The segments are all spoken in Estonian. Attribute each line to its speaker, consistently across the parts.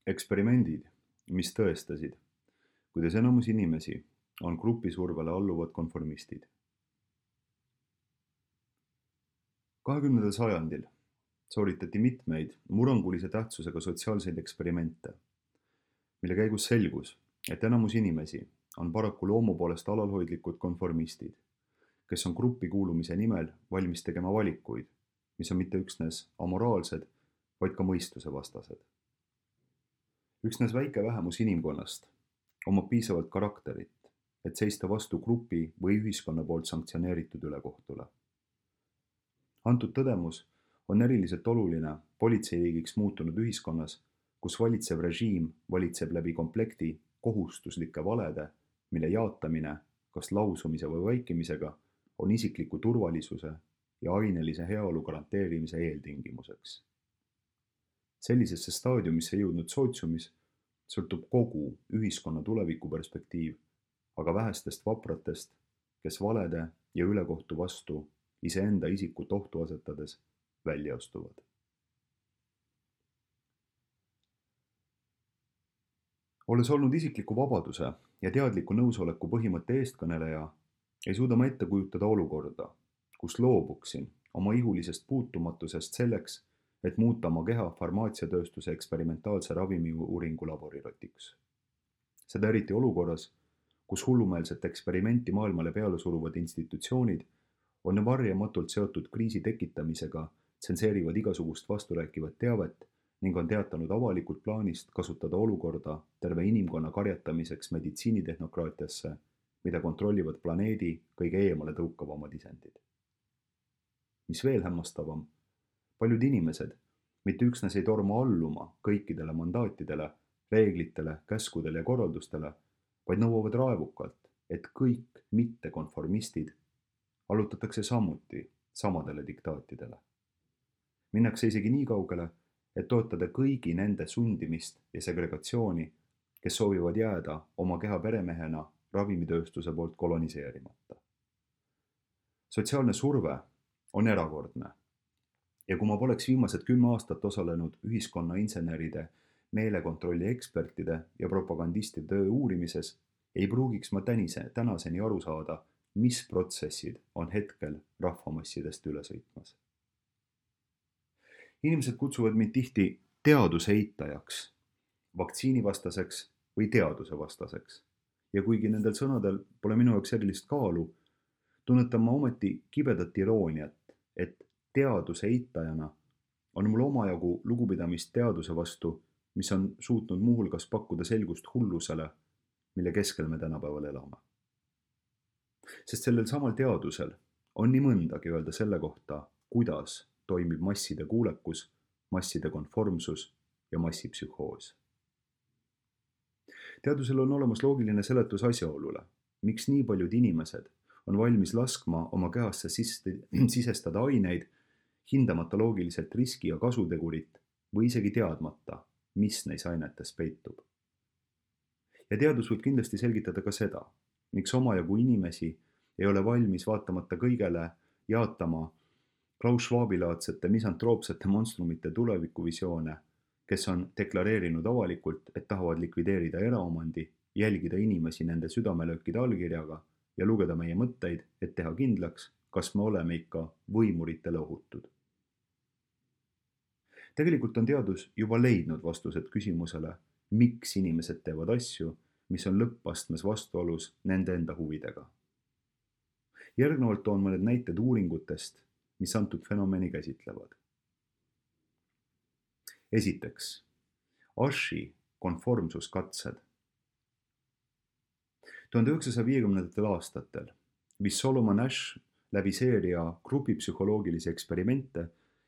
Speaker 1: Eksperimendid, mis tõestasid, kuidas enamus inimesi on grupisurvele alluvad konformistid. 20. sajandil sooritati mitmeid murrangulise tähtsusega sotsiaalseid eksperimente, mille käigus selgus, et enamus inimesi on paraku loomu poolest alalhoidlikud konformistid, kes on gruppi kuulumise nimel valmis tegema valikuid, mis on mitte üksnes amoraalsed, vaid ka mõistuse vastased. Üksnes väike vähemus inimkonnast omab piisavalt karakterit, et seista vastu grupi või ühiskonna poolt sanktsioneeritud ülekohtule. Antud tõdemus on eriliselt oluline politseiriigiks muutunud ühiskonnas, kus valitsev režiim valitseb läbi komplekti kohustuslike valede, mille jaatamine kas lausumise või vaikimisega on isikliku turvalisuse ja ainelise heaolu garanteerimise eeltingimuseks. Sellisesse staadiumisse jõudnud sootsiumis sõltub kogu ühiskonna tulevikuperspektiiv, aga vähestest vapratest, kes valede ja ülekohtu vastu iseenda isikut ohtu asetades välja astuvad. Olles olnud isikliku vabaduse ja teadliku nõusoleku põhimõtte eestkõneleja, ei suuda ma ette kujutada olukorda, kus loobuksin oma ihulisest puutumatusest selleks, et muuta oma keha farmaatsiatööstuse eksperimentaalse ravimiuuringu laborirotiks. Seda eriti olukorras, kus hullumeelset eksperimenti maailmale peale suruvad institutsioonid on varjamatult seotud kriisi tekitamisega, tsenseerivad igasugust vasturääkivat teavet ning on teatanud avalikult plaanist kasutada olukorda terve inimkonna karjatamiseks meditsiinitehnokraatiasse, mida kontrollivad planeedi kõige eemale tõukavamad isendid. Mis veel hämmastavam, paljud inimesed mitte üksnes ei torma alluma kõikidele mandaatidele, reeglitele, käskudele ja korraldustele, vaid nõuavad raevukalt, et kõik mittekonformistid allutatakse samuti samadele diktaatidele. Minnakse isegi nii kaugele, et toetada kõigi nende sundimist ja segregatsiooni, kes soovivad jääda oma keha peremehena ravimitööstuse poolt koloniseerimata. Sotsiaalne surve on erakordne ja kui ma poleks viimased 10 aastat osalenud ühiskonna inseneride, meelekontrolli ekspertide ja propagandistide töö uurimises, ei pruugiks ma tänaseni aru saada, mis protsessid on hetkel rahvamassidest üle sõitmas. Inimesed kutsuvad mind tihti teaduse eitajaks, vaktsiinivastaseks või teaduse vastaseks. Ja kuigi nendel sõnadel pole minu jaoks erilist kaalu, tunnetan ma ometi kibedat irooniat, et teaduse eitajana on mul omajagu lugupidamist teaduse vastu, mis on suutnud muuhulgas pakkuda selgust hullusele, mille keskel me tänapäeval elame. Sest sellel samal teadusel on nii mõndagi öelda selle kohta, kuidas toimib masside kuulekus, masside konformsus ja massipsühhoos. Teadusel on olemas loogiline seletus asjaolule, miks nii paljud inimesed on valmis laskma oma kehasse sisestada aineid, hindamata loogiliselt riski ja kasutegurit või isegi teadmata, mis neis ainetes peitub. Ja teadus võib kindlasti selgitada ka seda, miks omajagu inimesi ei ole valmis vaatamata kõigele jaatama Klaus Schwabi-laadsete misantroopsete monstrumite tulevikuvisioone, kes on deklareerinud avalikult, et tahavad likvideerida eraomandi, jälgida inimesi nende südamelöökide allkirjaga ja lugeda meie mõtteid, et teha kindlaks, kas me oleme ikka võimuritele ohutud. Tegelikult on teadus juba leidnud vastused küsimusele, miks inimesed teevad asju, mis on lõppastmes vastuolus nende enda huvidega. Järgnevalt toon mõned näited uuringutest, mis antud fenomeni käsitlevad. Esiteks, Ashi konformsuskatsed. 1950. aastatel viis Solomon Ash läbi seeria grupipsühholoogilisi eksperimente,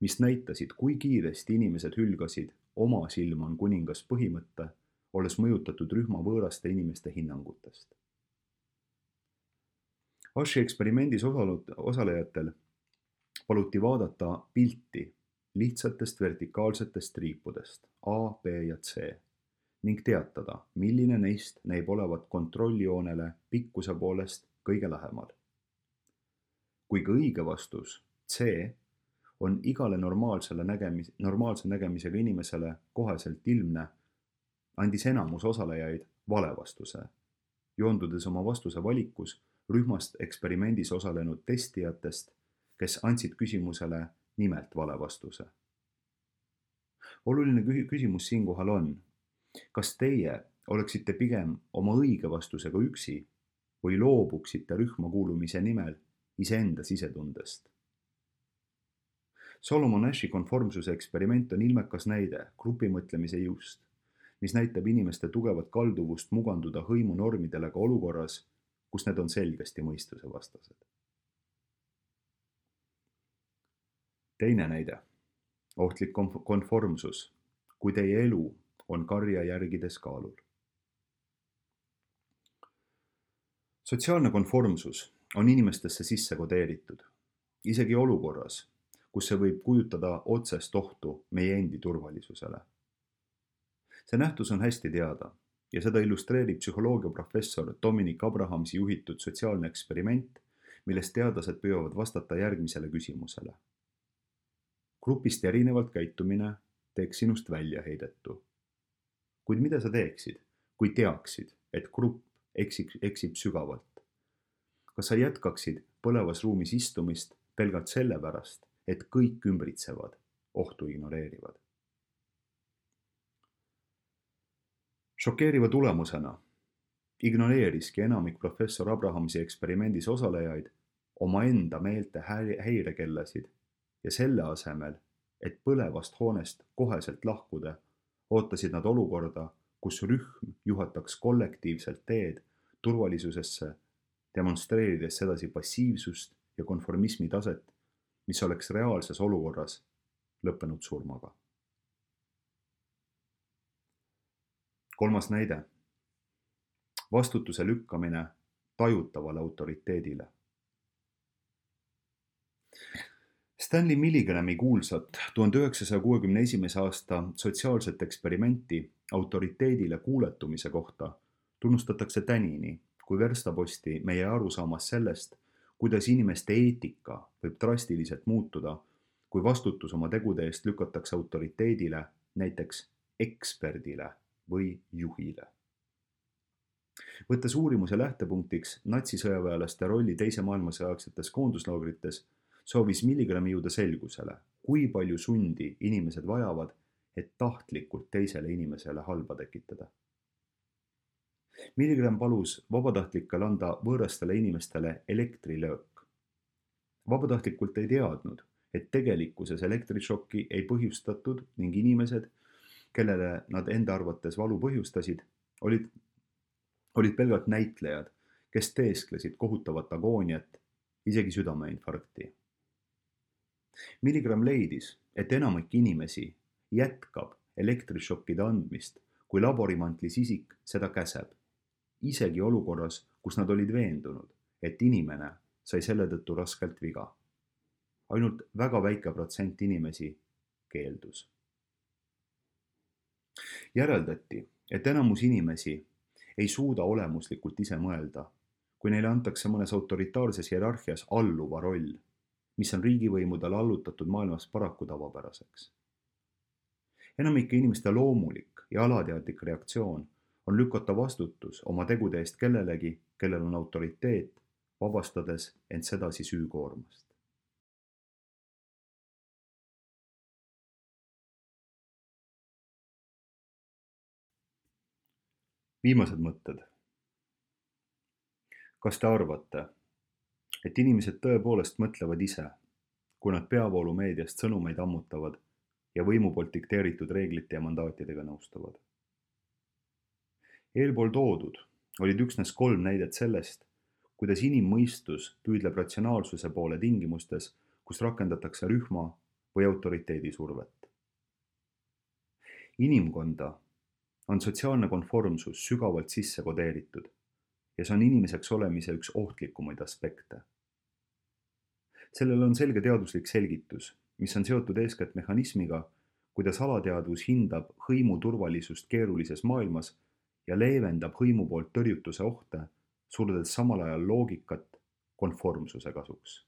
Speaker 1: mis näitasid, kui kiiresti inimesed hülgasid oma silm on kuningas põhimõtte, olles mõjutatud rühma võõraste inimeste hinnangutest. Ashi eksperimendis osalejatel paluti vaadata pilti lihtsatest vertikaalsetest triipudest A, B ja C ning teatada, milline neist näib olevat kontrolljoonele pikkuse poolest kõige lähemal. Kui ka õige vastus C on igale normaalse nägemisega inimesele koheselt ilmne, andis enamus osalejaid vale vastuse, joondudes oma vastuse valikus rühmast eksperimendis osalenud testijatest, kes andsid küsimusele nimelt vale vastuse. Oluline küsimus siinkohal on, kas teie oleksite pigem oma õige vastusega üksi või loobuksite rühma kuulumise nimel iseenda sisetundest? Solomon Ashi konformsuse eksperiment on ilmekas näide grupimõtlemise jõust, mis näitab inimeste tugevat kalduvust muganduda hõimunormidele ka olukorras, kus need on selgesti mõistusevastased. Teine näide. Ohtlik konformsus, kui teie elu on karja järgides kaalul. Sotsiaalne konformsus on inimestesse sisse kodeeritud, isegi olukorras, kus see võib kujutada otsest ohtu meie endi turvalisusele. See nähtus on hästi teada ja seda illustreerib psühholoogiaprofessor Dominic Abrahamsi juhitud sotsiaalne eksperiment, milles teadlased püüavad vastata järgmisele küsimusele. Grupist erinevalt käitumine teeks sinust väljaheidetu. Kuid mida sa teeksid, kui teaksid, et grupp eksib sügavalt? Kas sa jätkaksid põlevas ruumis istumist pelgalt sellepärast, et kõik ümbritsevad ohtu ignoreerivad? Šokeeriva tulemusena ignoreeriski enamik professor Abrahamsi eksperimendis osalejaid omaenda meelte häirekellasid ja selle asemel, et põlevast hoonest koheselt lahkuda, ootasid nad olukorda, kus rühm juhataks kollektiivselt teed turvalisusesse, demonstreerides sedasi passiivsust ja konformismi taset, mis oleks reaalses olukorras lõppenud surmaga. Kolmas näide. Vastutuse lükkamine tajutavale autoriteedile. Stanley Milgrami kuulsat 1961. aasta sotsiaalset eksperimenti autoriteedile kuuletumise kohta tunnustatakse tänini kui verstaposti meie arusaamas sellest, kuidas inimeste eetika võib drastiliselt muutuda, kui vastutus oma tegude eest lükatakse autoriteedile, näiteks eksperdile või juhile. Võttes uurimuse lähtepunktiks natsisõjaväelaste rolli teise maailmasõja aegsetes koonduslaagrites, soovis Milgrami jõuda selgusele, kui palju sundi inimesed vajavad, et tahtlikult teisele inimesele halba tekitada. Milgram palus vabatahtlikel anda võõrastele inimestele elektrilöök. Vabatahtlikult ei teadnud, et tegelikkuses elektrišokki ei põhjustatud ning inimesed, kellele nad enda arvates valu põhjustasid, olid pelgalt näitlejad, kes teesklesid kohutavat agooniat, isegi südameinfarkti. Milgram leidis, et enamik inimesi jätkab elektrišokkide andmist, kui laborimantlis isik seda käseb, isegi olukorras, kus nad olid veendunud, et inimene sai selle tõttu raskelt viga. Ainult väga väike protsent inimesi keeldus. Järeldati, et enamus inimesi ei suuda olemuslikult ise mõelda, kui neile antakse mõnes autoritaarses hierarhias alluva roll, mis on riigivõimudele allutatud maailmas paraku tavapäraseks. Enamike inimeste loomulik ja alateadlik reaktsioon on lükata vastutus oma tegude eest kellelegi, kellel on autoriteet, vabastades end sedasi süükoormast. Viimased mõtted. Kas te arvate, et inimesed tõepoolest mõtlevad ise, kui nad peavoolumeediast sõnumeid ammutavad ja võimu poolt dikteeritud reeglite ja mandaatidega nõustuvad? Eelpool toodud olid üksnes 3 näidet sellest, kuidas inimmõistus püüdleb ratsionaalsuse poole tingimustes, kus rakendatakse rühma või autoriteedi survet. Inimkonda on sotsiaalne konformsus sügavalt sisse kodeeritud ja see on inimeseks olemise üks ohtlikumaid aspekte. Sellel on selge teaduslik selgitus, mis on seotud eeskätt mehhanismiga, kuidas alateadvus hindab hõimu turvalisust keerulises maailmas ja leevendab hõimu poolt tõrjutuse ohte, surdes samal ajal loogikat konformsuse kasuks.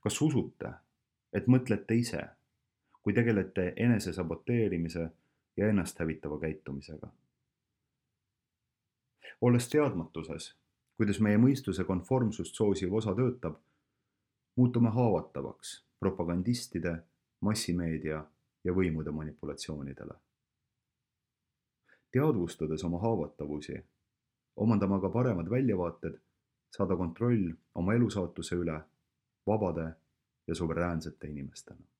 Speaker 1: Kas usute, et mõtlete ise, kui tegelete enesesaboteerimise ja ennast hävitava käitumisega. Olles teadmatuses, kuidas meie mõistuse konformsust soosiv osa töötab, muutume haavatavaks propagandistide, massimeedia ja võimude manipulatsioonidele. Teadvustades oma haavatavusi, omandame aga paremad väljavaated saada kontroll oma elusaatuse üle vabade ja suveräänsete inimestena.